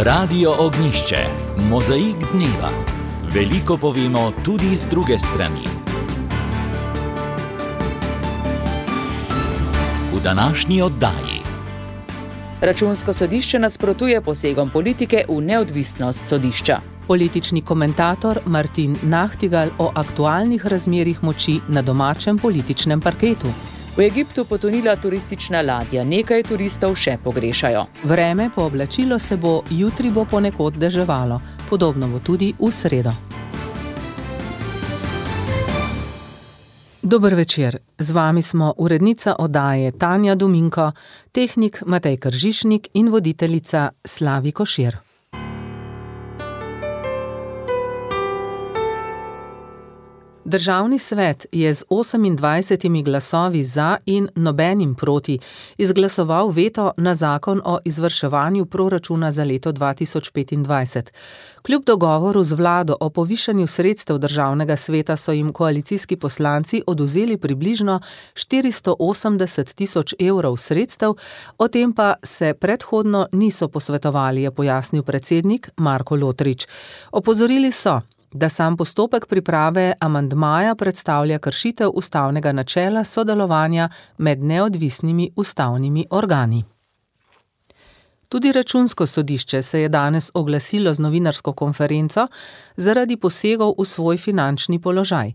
Radio Ognišče, mozaik dneva. Veliko povemo tudi z druge strani. V današnji oddaji. Računsko sodišče nasprotuje posegom politike v neodvisnost sodišča. Politični komentator Martin Nachtigal o aktualnih razmerjih moči na domačem političnem parketu. V Egiptu potonila turistična ladja, nekaj turistov še pogrešajo. Vreme pooblačilo se bo, jutri bo ponekod deževalo, podobno bo tudi v sredo. Dober večer, z vami smo urednica oddaje Tanja Dominko, tehnik Matej Kržišnik in voditeljica Slavi Košir. Državni svet je z 28 glasovi za in nobenim proti izglasoval veto na zakon o izvrševanju proračuna za leto 2025. Kljub dogovoru z vlado o povišanju sredstev državnega sveta so jim koalicijski poslanci odvzeli približno 480 tisoč evrov sredstev, o tem pa se predhodno niso posvetovali, je pojasnil predsednik Marko Lotrič. Opozorili so, da sam postopek priprave amandmaja predstavlja kršitev ustavnega načela sodelovanja med neodvisnimi ustavnimi organi. Tudi Računsko sodišče se je danes oglasilo z novinarsko konferenco zaradi posegov v svoj finančni položaj.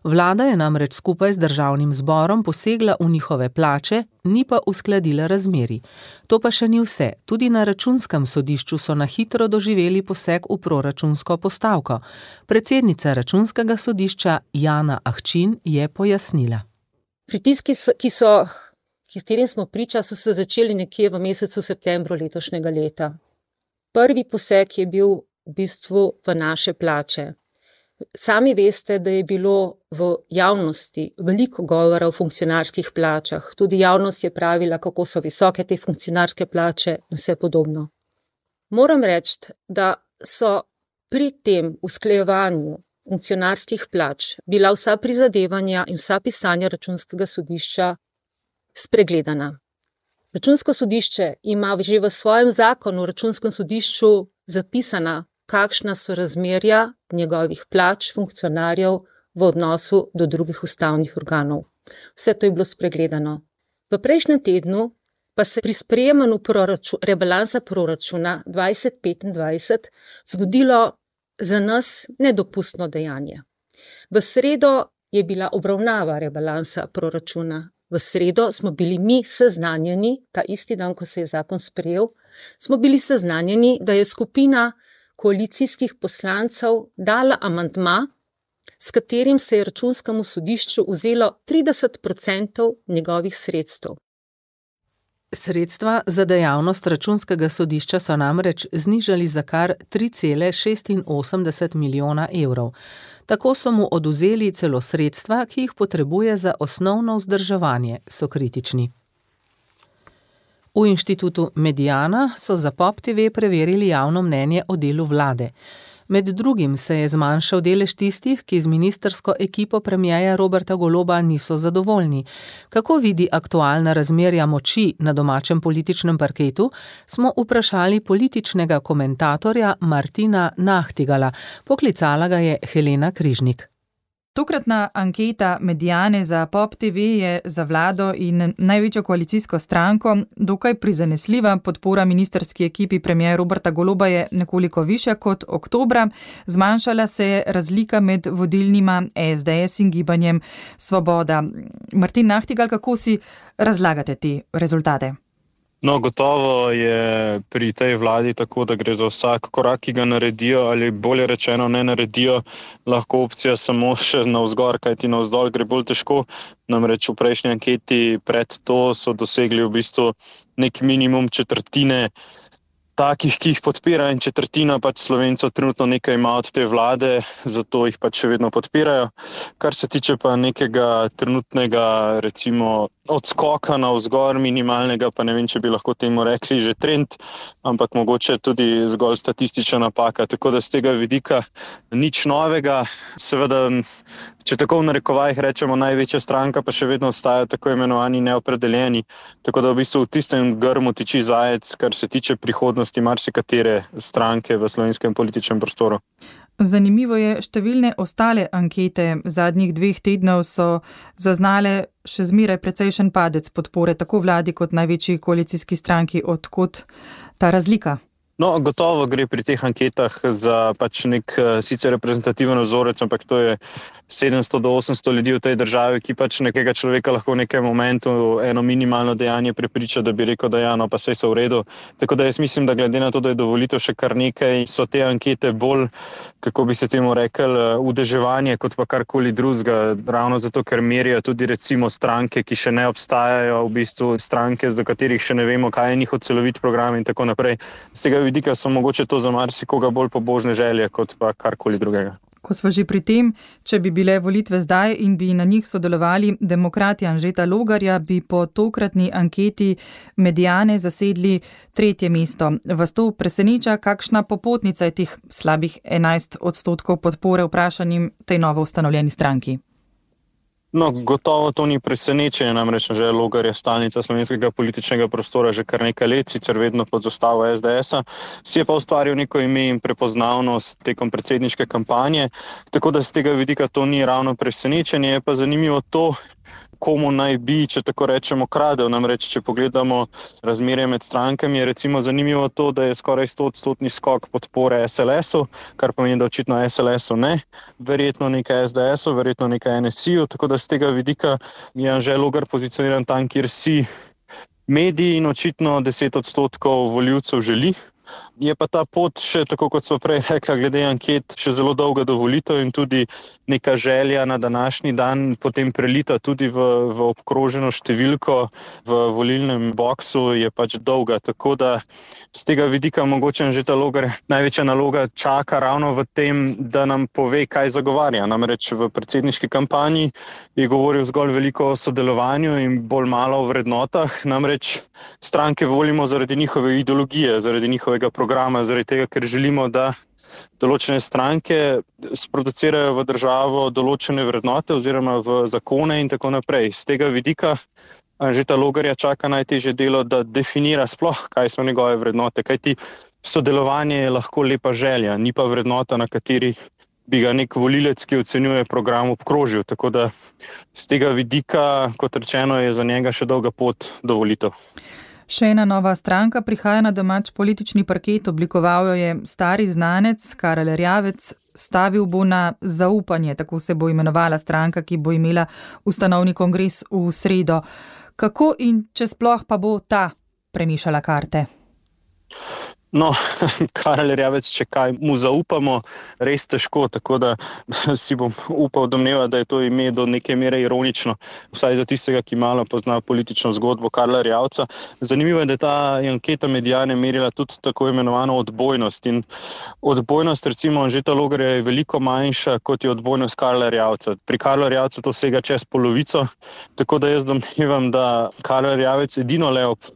Vlada je namreč skupaj z državnim zborom posegla v njihove plače, ni pa uskladila razmerij. To pa še ni vse. Tudi na Računskem sodišču so na hitro doživeli poseg v proračunsko postavko. Predsednica Računskega sodišča Jana Ahčin je pojasnila. Pritiski, katerim smo priča, so se začeli nekje v mesecu septembru letošnjega leta. Prvi poseg je bil v bistvu v naše plače. Sami veste, da je bilo v javnosti veliko govora o funkcionarskih plačah. Tudi javnost je pravila, kako so visoke te funkcionarske plače in vse podobno. Moram reči, da so pri tem usklajevanju funkcionarskih plač bila vsa prizadevanja in vsa pisanja Računskega sodišča spregledana. Računsko sodišče ima že v svojem zakonu o Računskem sodišču zapisana, kakšna so razmerja njegovih plač funkcionarjev v odnosu do drugih ustavnih organov. Vse to je bilo spregledano. V prejšnjem tednu pa se pri sprejemanju rebalansa proračuna 2025 zgodilo za nas nedopustno dejanje. V sredo je bila obravnava rebalansa proračuna. V sredo smo bili mi seznanjeni, ta isti dan, ko se je zakon sprejel, smo bili seznanjeni, da je skupina koalicijskih poslancev dala amandma, s katerim se je Računskemu sodišču vzelo 30% njegovih sredstev. Sredstva za dejavnost Računskega sodišča so namreč znižali za kar 3,86 milijona evrov. Tako so mu odvzeli celo sredstva, ki jih potrebuje za osnovno vzdrževanje, so kritični. V inštitutu Mediana so za POP TV preverili javno mnenje o delu vlade. Med drugim se je zmanjšal delež tistih, ki z ministrsko ekipo premierja Roberta Goloba niso zadovoljni. Kako vidi aktualna razmerja moči na domačem političnem parketu, smo vprašali političnega komentatorja Martina Nachtigala. Poklicala ga je Helena Križnik. Tokratna anketa Mediane za POP TV je za vlado in največjo koalicijsko stranko dokaj prizanesljiva. Podpora ministrski ekipi premierja Roberta Goloba je nekoliko višja kot oktobra. Zmanjšala se je razlika med vodilnima SDS in Gibanjem Svoboda. Martin Nachtigal, kako si razlagate te rezultate? No, gotovo je pri tej vladi tako, da gre za vsak korak, ki ga naredijo ali bolje rečeno ne naredijo, lahko opcija samo še navzgor, kajti navzdol gre bolj težko. Namreč v prejšnji anketi pred to so dosegli v bistvu nek minimum četrtine takih, ki jih podpira, in četrtina pač Slovencev trenutno nekaj ima od te vlade, zato jih pač še vedno podpirajo. Kar se tiče pa nekega trenutnega, recimo, odskoka navzgor minimalnega, pa ne vem, če bi lahko temu rekli že trend, ampak mogoče tudi zgolj statistična napaka. Tako da z tega vidika nič novega. Seveda če tako v narekovajih rečemo, največja stranka, pa še vedno ostajajo tako imenovani neopredeljeni. Tako da v bistvu v tistem grmu tiči zajec, kar se tiče prihodnosti marsikatere stranke v slovenskem političnem prostoru. Zanimivo je, številne ostale ankete zadnjih 2 tednov so zaznale še zmeraj precejšen padec podpore tako vladi kot največji koalicijski stranki. Odkot ta razlika? No, gotovo gre pri teh anketah za pač nek sicer reprezentativen vzorec, ampak to je 700 do 800 ljudi v tej državi, ki pač nekega človeka lahko v nekem momentu eno minimalno dejanje prepriča, da bi rekel, da ja, no pa saj so v redu. Tako da jaz mislim, da glede na to, da je do volitev še kar nekaj, so te ankete bolj, kako bi se temu rekel, udeževanje kot pa karkoli drugega. Ravno zato, ker merijo tudi recimo stranke, ki še ne obstajajo, v bistvu stranke, do katerih še ne vemo, kaj je njihov celovit program in tako naprej. Z tega vidika so mogoče to za marsikoga bolj pobožne želje kot pa karkoli drugega. Ko smo že pri tem, če bi bile volitve zdaj in bi na njih sodelovali demokrati Anžeta Logarja, bi po tokratni anketi Mediane zasedli 3. mesto. Vas to preseneča, kakšna popotnica je teh slabih 11% podpore vprašanim tej novo ustanovljeni stranki? No, gotovo to ni presenečenje, namreč že Logar je stalnica slovenskega političnega prostora že kar nekaj let, sicer vedno pod zastavo SDS-a, si je pa ustvaril neko ime in prepoznavnost tekom predsedniške kampanje, tako da z tega vidika to ni ravno presenečenje, je pa zanimivo to, komu naj bi, če tako rečemo, kradel. Namreč, če pogledamo razmerje med strankami, je recimo zanimivo to, da je skoraj 100% skok podpore SLS-u, kar pomeni, da očitno SLS-u ne, verjetno nekaj SDS-u, verjetno nekaj NSI-u, tako da z tega vidika je Anže Logar pozicioniran tam, kjer si mediji in očitno 10% volivcev želi. Je pa ta pot še, tako kot smo prej rekla, glede anket, še zelo dolga do volitev in tudi neka želja na današnji dan potem prelita tudi v obkroženo številko v volilnem boksu je pač dolga. Tako da z tega vidika mogoče Anžeta Logar največja naloga čaka ravno v tem, da nam pove, kaj zagovarja. Namreč v predsedniški kampanji je govoril zgolj veliko o sodelovanju in bolj malo o vrednotah. Namreč stranke volimo zaradi njihove ideologije, zaradi njihovega programa, zaradi tega, ker želimo, da določene stranke sproducirajo v državo določene vrednote oziroma v zakone in tako naprej. Z tega vidika Anžeta Logarja čaka najtežje delo, da definira sploh, kaj so njegove vrednote, kajti sodelovanje je lahko lepa želja, ni pa vrednota, na kateri bi ga nek volilec, ki ocenjuje program, obkrožil. Tako da z tega vidika, kot rečeno, je za njega še dolga pot do volitev. Še ena nova stranka prihaja na domač politični parket, oblikoval jo je stari znanec Karel Erjavec, stavil bo na zaupanje, tako se bo imenovala stranka, ki bo imela ustanovni kongres v sredo. Kako in če sploh pa bo ta premišala karte? No, Karel Erjavec, če kaj mu zaupamo, res težko, tako da si bom upal domneva, da je to ime do neke mere ironično, vsaj za tistega, ki malo pozna politično zgodbo Karla Erjavca. Zanimivo je, da ta anketa Mediane merila tudi tako imenovano odbojnost in odbojnost recimo Anžeta Logarja je veliko manjša, kot je odbojnost Karla Erjavca. Pri Karlu Erjavcu to sega čez polovico, tako da jaz domnevam, da Karel Erjavec edino le ob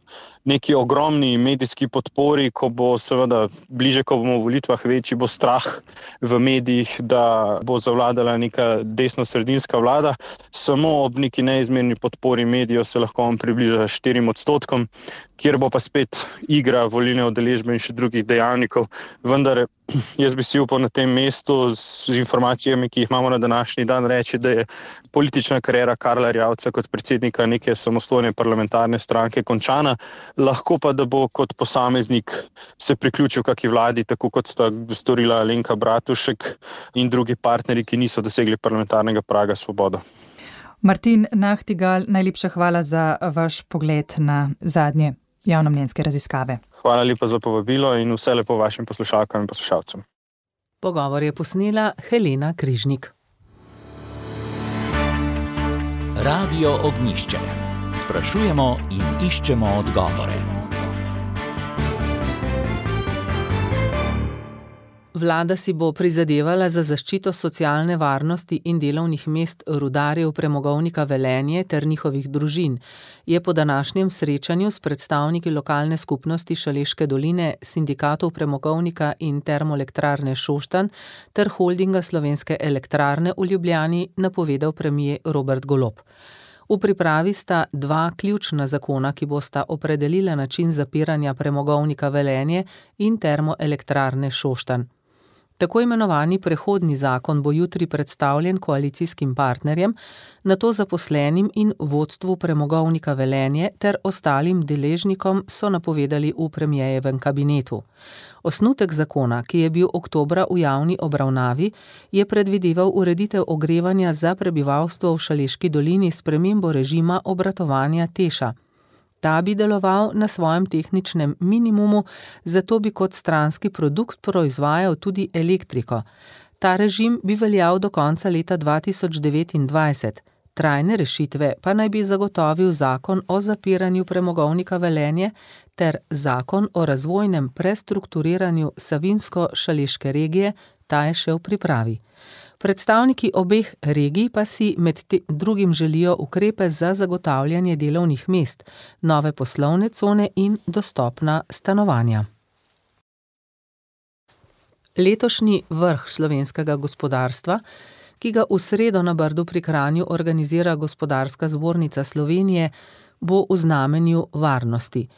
neki ogromni medijski podpori, ko bo seveda bliže, ko bomo v volitvah večji, bo strah v medijih, da bo zavladala neka desno-sredinska vlada. Samo ob neki neizmerni podpori medijev se lahko on približa 4%, kjer bo pa spet igra volilne udeležbe in še drugih dejavnikov. Vendar jaz bi si upal na tem mestu z informacijami, ki jih imamo na današnji dan, reči, da je politična kariera Karla Erjavca kot predsednika neke samostojne parlamentarne stranke končana, lahko pa, da bo kot posameznik se priključil kaki vladi, tako kot sta storila Alenka Bratušek in drugi partnerji, ki niso dosegli parlamentarnega praga svobodo. Martin Nahtigal, najlepša hvala za vaš pogled na zadnje javnomnenjske raziskave. Hvala lepa za povabilo in vse lepo vašim poslušalkam in poslušalcem. Pogovor je posnela Helena Križnik. Radio Ognjišče. Sprašujemo in iščemo odgovore. Vlada si bo prizadevala za zaščito socialne varnosti in delovnih mest rudarjev premogovnika Velenje ter njihovih družin, je po današnjem srečanju s predstavniki lokalne skupnosti Šaleške doline, sindikatov premogovnika in termoelektrarne Šoštanj ter holdinga Slovenske elektrarne v Ljubljani napovedal premier Robert Golob. V pripravi sta dva ključna zakona, ki bosta opredelila način zapiranja premogovnika Velenje in termoelektrarne Šoštanj. Tako imenovani prehodni zakon bo jutri predstavljen koalicijskim partnerjem, nato zaposlenim in vodstvu premogovnika Velenje ter ostalim deležnikom, so napovedali v premierjevem kabinetu. Osnutek zakona, ki je bil oktobra v javni obravnavi, je predvideval ureditev ogrevanja za prebivalstvo v Šaleški dolini s spremembo režima obratovanja Teša. Ta bi deloval na svojem tehničnem minimumu, zato bi kot stranski produkt proizvajal tudi elektriko. Ta režim bi veljal do konca leta 2029. Trajne rešitve pa naj bi zagotovil zakon o zapiranju premogovnika Velenje ter zakon o razvojnem prestrukturiranju Savinjsko-Šaleške regije, ta je še v pripravi. Predstavniki obeh regij pa si med drugim želijo ukrepe za zagotavljanje delovnih mest, nove poslovne cone in dostopna stanovanja. Letošnji vrh slovenskega gospodarstva, ki ga v sredo na Brdu pri Kranju organizira Gospodarska zbornica Slovenije, bo v znamenju varnosti.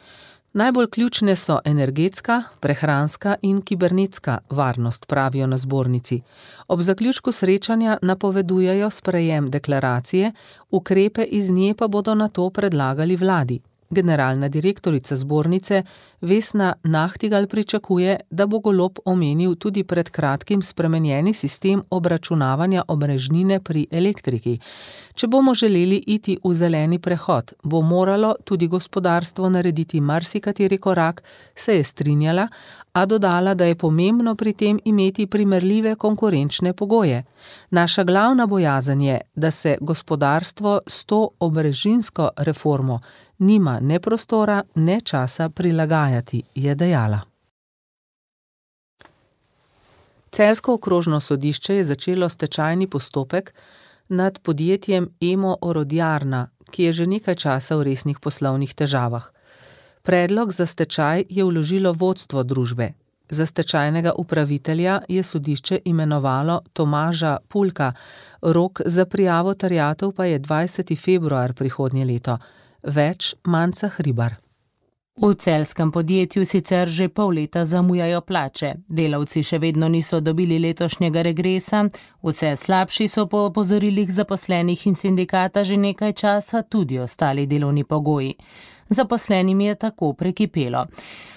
Najbolj ključne so energetska, prehranska in kibernetska varnost, pravijo na zbornici. Ob zaključku srečanja napovedujejo sprejem deklaracije, ukrepe iz nje pa bodo nato predlagali vladi. Generalna direktorica zbornice Vesna Nahtigal pričakuje, da bo Golob omenil tudi pred kratkim spremenjeni sistem obračunavanja omrežnine pri elektriki. Če bomo želeli iti v zeleni prehod, bo moralo tudi gospodarstvo narediti marsikateri korak, se je strinjala, a dodala, da je pomembno pri tem imeti primerljive konkurenčne pogoje. Naša glavna bojazen je, da se gospodarstvo s to omrežninsko reformo nima ne prostora, ne časa prilagajati, je dejala. Celjsko okrožno sodišče je začelo stečajni postopek nad podjetjem Emo Orodjarna, ki je že nekaj časa v resnih poslovnih težavah. Predlog za stečaj je vložilo vodstvo družbe. Za stečajnega upravitelja je sodišče imenovalo Tomaža Pulka, rok za prijavo terjatev pa je 20. februar prihodnje leto. Več Manca Hribar. V celjskem podjetju sicer že pol leta zamujajo plače. Delavci še vedno niso dobili letošnjega regresa, vse slabši so po opozorilih zaposlenih in sindikata že nekaj časa tudi ostali delovni pogoji. Zaposlenim je tako prekipelo.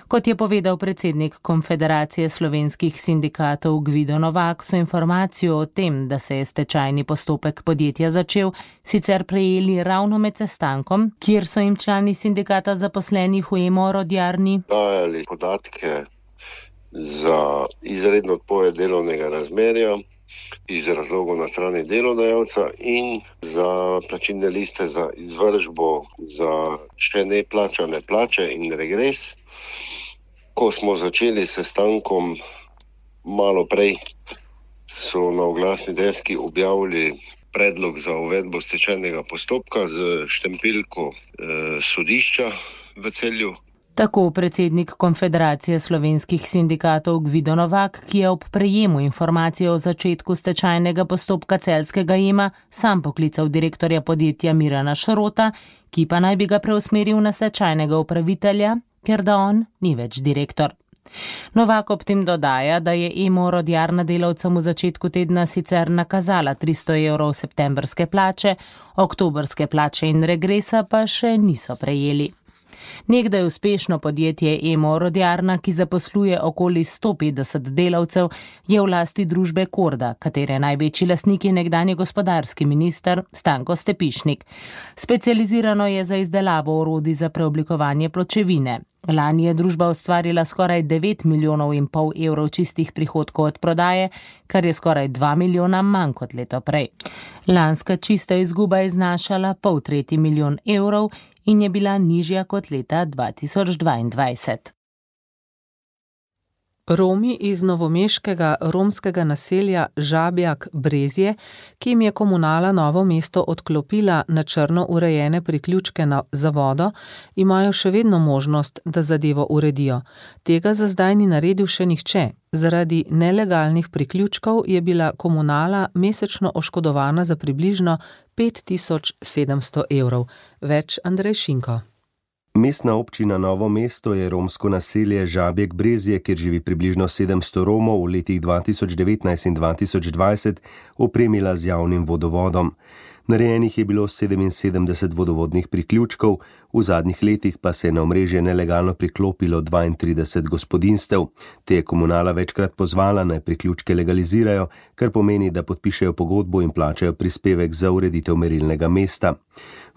Kot je povedal predsednik Konfederacije slovenskih sindikatov Gvido Novak, so informacijo o tem, da se je stečajni postopek podjetja začel, sicer prejeli ravno med sestankom, kjer so jim člani sindikata zaposlenih v Emo Orodjarni dajali podatke za izredno odpoved delovnega razmerja iz razlogov na strani delodajalca in za plačilne liste za izvršbo za še neplačane plače in regres. Ko smo začeli s sestankom malo prej, so na oglasni deski objavili predlog za uvedbo stečajnega postopka z štempelko sodišča v Celju. Tako predsednik Konfederacije slovenskih sindikatov Gvido Novak, ki je ob prejemu informacije o začetku stečajnega postopka celjskega Ema sam poklical direktorja podjetja Mirana Šrota, ki pa naj bi ga preusmeril na stečajnega upravitelja, ker da on ni več direktor. Novak ob tem dodaja, da je Emo Orodjarna delavcem v začetku tedna sicer nakazala 300 evrov septembrske plače, oktobrske plače in regresa pa še niso prejeli. Nekdaj uspešno podjetje Emo Orodjarna, ki zaposluje okoli 150 delavcev, je v lasti družbe Korda, katere največji lastnik je nekdanji gospodarski minister Stanko Stepišnik. Specializirano je za izdelavo orodij za preoblikovanje pločevine. Lani je družba ustvarila skoraj 9,5 milijona evrov čistih prihodkov od prodaje, kar je skoraj 2 milijona manj kot leto prej. Lanska čista izguba je znašala 0,5 milijona evrov in je bila nižja kot leta 2022. Romi iz novomeškega romskega naselja Žabjak Brezje, ki jim je komunala Novo mesto odklopila na črno urejene priključke za vodo, imajo še vedno možnost, da zadevo uredijo. Tega za zdaj ni naredil še nihče. Zaradi nelegalnih priključkov je bila komunala mesečno oškodovana za približno 5700 evrov. Več Andrej Šinko. Mestna občina Novo mesto je romsko naselje Žabjek Brezje, kjer živi približno 700 Romov, v letih 2019 in 2020 opremila z javnim vodovodom. Narejenih je bilo 77 vodovodnih priključkov, v zadnjih letih pa se je na omrežje nelegalno priklopilo 32 gospodinstev. Te je komunala večkrat pozvala, naj priključke legalizirajo, kar pomeni, da podpišejo pogodbo in plačajo prispevek za ureditev merilnega mesta.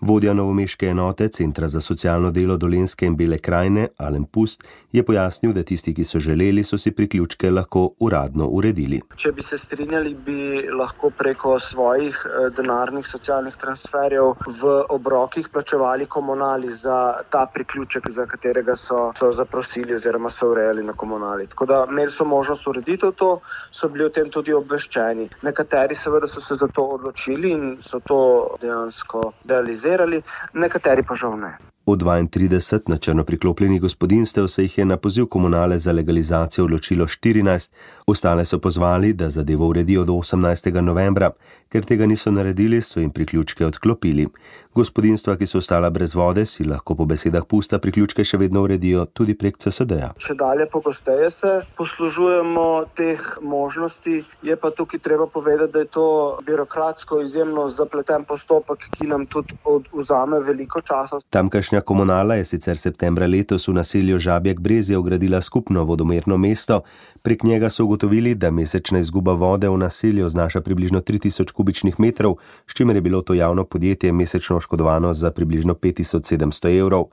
Vodja novomeške enote Centra za socialno delo Dolenjske in Bele krajine, Alen Pust, je pojasnil, da tisti, ki so želeli, so si priključke lahko uradno uredili. Če bi se strinjali, bi lahko preko svojih denarnih socialnih transferjev v obrokih plačevali komunali za ta priključek, za katerega so zaprosili oziroma so urejali na komunali. Tako da imeli so možnost ureditev to, so bili o tem tudi obveščeni. Nekateri seveda so se za to odločili in so to dejansko realizirali, nekateri pa žal ne. Od 32 na črno priklopljenih gospodinstev se jih je na poziv komunale za legalizacijo odločilo 14, ostale so pozvali, da zadevo uredijo do 18. novembra. Ker tega niso naredili, so jim priključke odklopili. Gospodinstva, ki so ostala brez vode, si lahko po besedah Pusta priključke še vedno uredijo tudi prek CSD-ja. Če dalje pogosteje se poslužujemo teh možnosti, je pa tukaj treba povedati, da je to birokratsko izjemno zapleten postopek, ki nam tudi vzame veliko časa. Tamkajšnja komunala je sicer septembra letos v naselju Žabjek Brezje vgradila skupno vodomerno mesto. Prek njega so ugotovili, da mesečna izguba vode v naselju znaša približno 3000 kubičnih metrov, s čimer je bilo to javno podjetje mesečno oškodovano za približno 5700 evrov.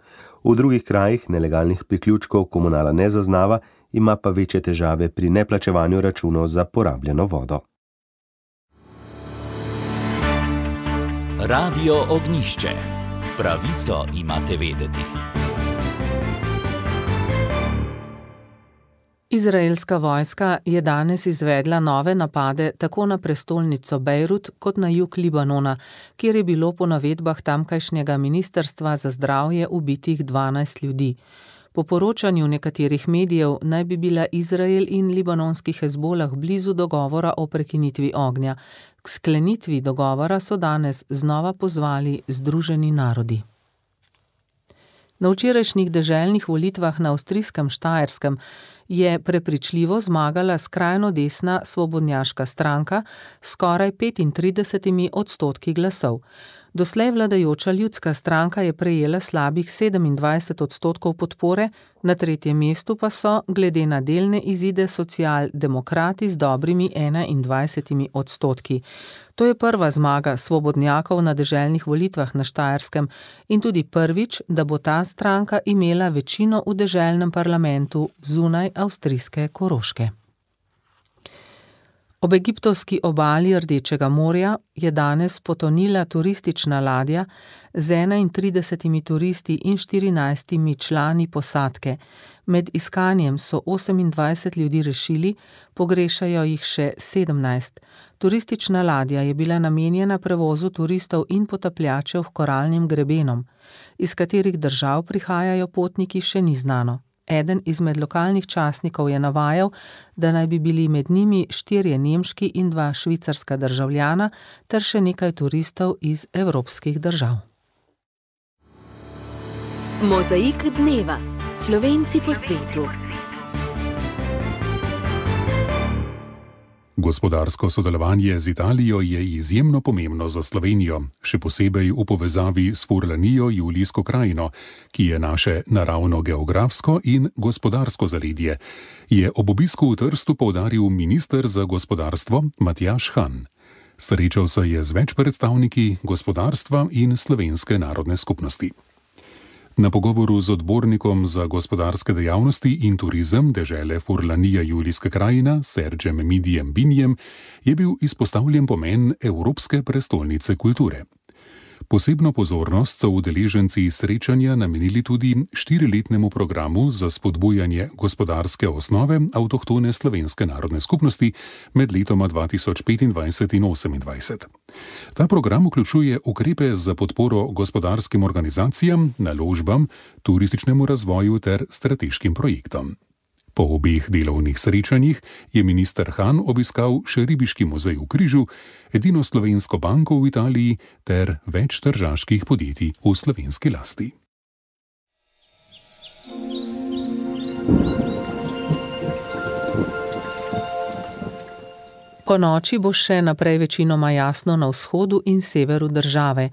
V drugih krajih nelegalnih priključkov komunala ne zaznava, ima pa večje težave pri neplačevanju računov za porabljeno vodo. Radio Ognjišče. Pravico imate vedeti. Izraelska vojska je danes izvedla nove napade tako na prestolnico Bejrut kot na jug Libanona, kjer je bilo po navedbah tamkajšnjega ministrstva za zdravje ubitih 12 ljudi. Po poročanju nekaterih medijev naj bi bila Izrael in libanonski Hezbolah blizu dogovora o prekinitvi ognja. K sklenitvi dogovora so danes znova pozvali Združeni narodi. Na včerajšnjih deželnih volitvah na avstrijskem Štajerskem je prepričljivo zmagala skrajno desna svobodnjaška stranka s skoraj 35% glasov. Doslej vladajoča ljudska stranka je prejela slabih 27% podpore, na tretjem mestu pa so, glede na delne izide, socialdemokrati z dobrimi 21%. To je prva zmaga svobodnjakov na deželnih volitvah na Štajerskem in tudi prvič, da bo ta stranka imela večino v deželnem parlamentu zunaj avstrijske Koroške. Ob egiptovski obali Rdečega morja je danes potonila turistična ladja z 31 turisti in 14 člani posadke. Med iskanjem so 28 ljudi rešili, pogrešajo jih še 17. Turistična ladja je bila namenjena prevozu turistov in potapljačev k koralnim grebenom. Iz katerih držav prihajajo potniki, še ni znano. Eden izmed lokalnih časnikov je navajal, da naj bi bili med njimi 4 nemški in 2 švicarska državljana ter še nekaj turistov iz evropskih držav. Mozaik dneva. Slovenci po svetu. Gospodarsko sodelovanje z Italijo je izjemno pomembno za Slovenijo, še posebej v povezavi s Furlanijo Julijsko krajino, ki je naše naravno-geografsko in gospodarsko zaledje, je ob obisku v Trstu poudaril minister za gospodarstvo Matjaž Han. Srečal se je z več predstavniki gospodarstva in slovenske narodne skupnosti. Na pogovoru z odbornikom za gospodarske dejavnosti in turizem dežele Furlanija Julijska krajina, Sergem Midijem Binjem, je bil izpostavljen pomen Evropske prestolnice kulture. Posebno pozornost so udeleženci srečanja namenili tudi 4-letnemu programu za spodbujanje gospodarske osnove avtohtone slovenske narodne skupnosti med letoma 2025 in 2028. Ta program vključuje ukrepe za podporo gospodarskim organizacijam, naložbam, turističnemu razvoju ter strateškim projektom. Po obeh delovnih srečanjih je minister Han obiskal še Ribiški muzej v Križu, edino slovensko banko v Italiji ter več tržaških podjetij v slovenski lasti. Po noči bo še naprej večinoma jasno na vzhodu in severu države.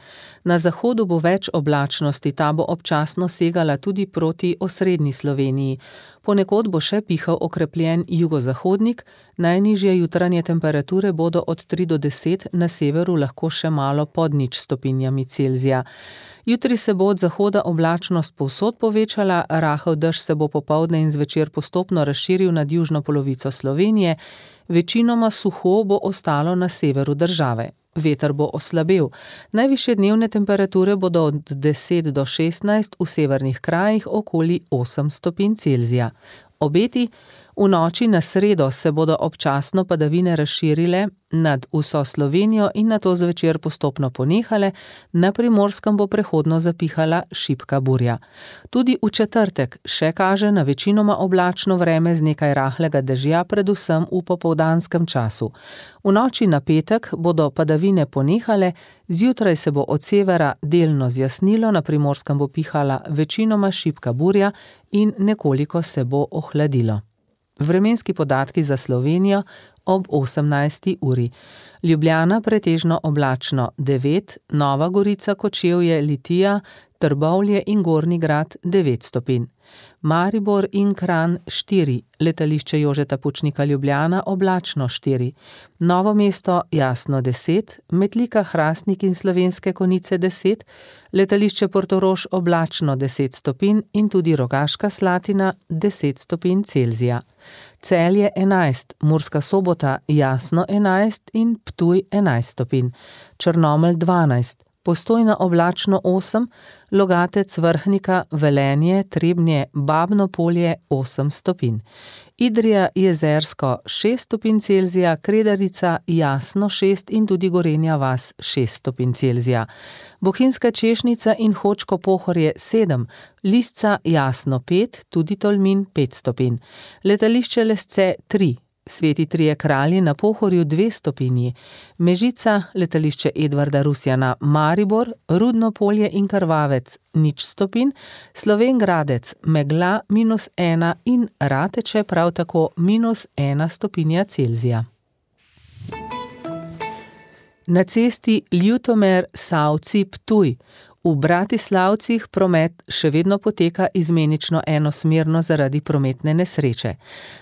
Na zahodu bo več oblačnosti, ta bo občasno segala tudi proti osrednji Sloveniji. Ponekod bo še pihal okrepljen jugozahodnik, najnižje jutranje temperature bodo od 3 do 10, na severu lahko še malo pod 0 stopinjami Celzija. Jutri se bo od zahoda oblačnost povsod povečala, rahel dež se bo popoldne in zvečer postopno razširil nad južno polovico Slovenije, večinoma suho bo ostalo na severu države. Veter bo oslabel. Najvišje dnevne temperature bodo od 10 do 16, v severnih krajih okoli 8 stopinj Celzija. Obeti: v noči na sredo se bodo občasno padavine razširile nad vso Slovenijo in nato zvečer postopno ponehale, na Primorskem bo prehodno zapihala šibka burja. Tudi v četrtek še kaže na večinoma oblačno vreme z nekaj rahlega dežja, predvsem v popoldanskem času. V noči na petek bodo padavine ponehale, zjutraj se bo od severa delno zjasnilo, na Primorskem bo pihala večinoma šibka burja in nekoliko se bo ohladilo. Vremenski podatki za Slovenijo ob 18. uri. Ljubljana pretežno oblačno 9, Nova Gorica, Kočevje, Litija, Trbovlje in Gornji Grad 9 stopinj. Maribor in Kranj 4, letališče Jožeta Pučnika Ljubljana oblačno 4, Novo mesto jasno 10, Metlika, Hrastnik in Slovenske Konjice 10, letališče Portorož oblačno 10 stopinj in tudi Rogaška Slatina 10 stopinj Celzija. Celje 11, Murska Sobota jasno 11 in Ptuj 11 stopinj, Črnomelj 12, Postojna oblačno 8, Logatec, Vrhnika, Velenje, Trebnje, Babno Polje 8 stopinj. Idrija, Jezersko 6 stopinj Celzija, Kredarica jasno 6 in tudi Gorenja vas 6 stopinj Celzija. Bohinjska Češnica in Hočko Pohorje 7, Lisca jasno 5, tudi Tolmin 5 stopinj. Letališče Lesce 3, Sveti Trije Kralji na Pohorju 2 stopinji, Mežica, letališče Edvarda Rusjana, Maribor, Rudno Polje in Krvavec 0 stopinj, Slovenj Gradec megla -1 in Rateče prav tako -1 stopinja Celzija. Na cesti Ljutomer-Savci-Ptuj v Bratislavcih promet še vedno poteka izmenično enosmerno zaradi prometne nesreče.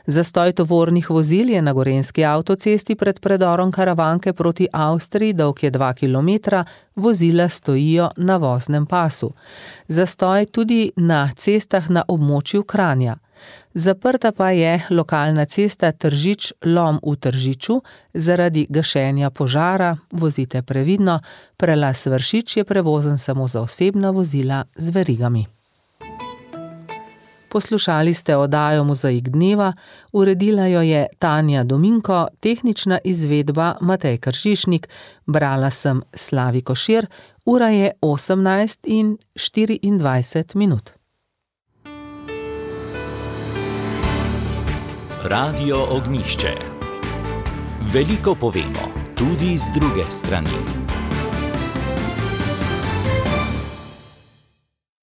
Zastoj tovornih vozil je na gorenjski avtocesti pred predorom Karavanke proti Avstriji, dolg je 2 km, vozila stojijo na voznem pasu. Zastoj tudi na cestah na območju Kranja. Zaprta pa je lokalna cesta Tržič-Lom v Tržiču zaradi gašenja požara, vozite previdno, prelaz Vršič je prevozen samo za osebna vozila z verigami. Poslušali ste oddajo Mozaik dneva, uredila jo je Tanja Dominko, tehnična izvedba Matej Kršišnik, brala sem Slavi Košir, ura je 18:24. Radio Ognjišče. Veliko povemo, tudi z druge strani.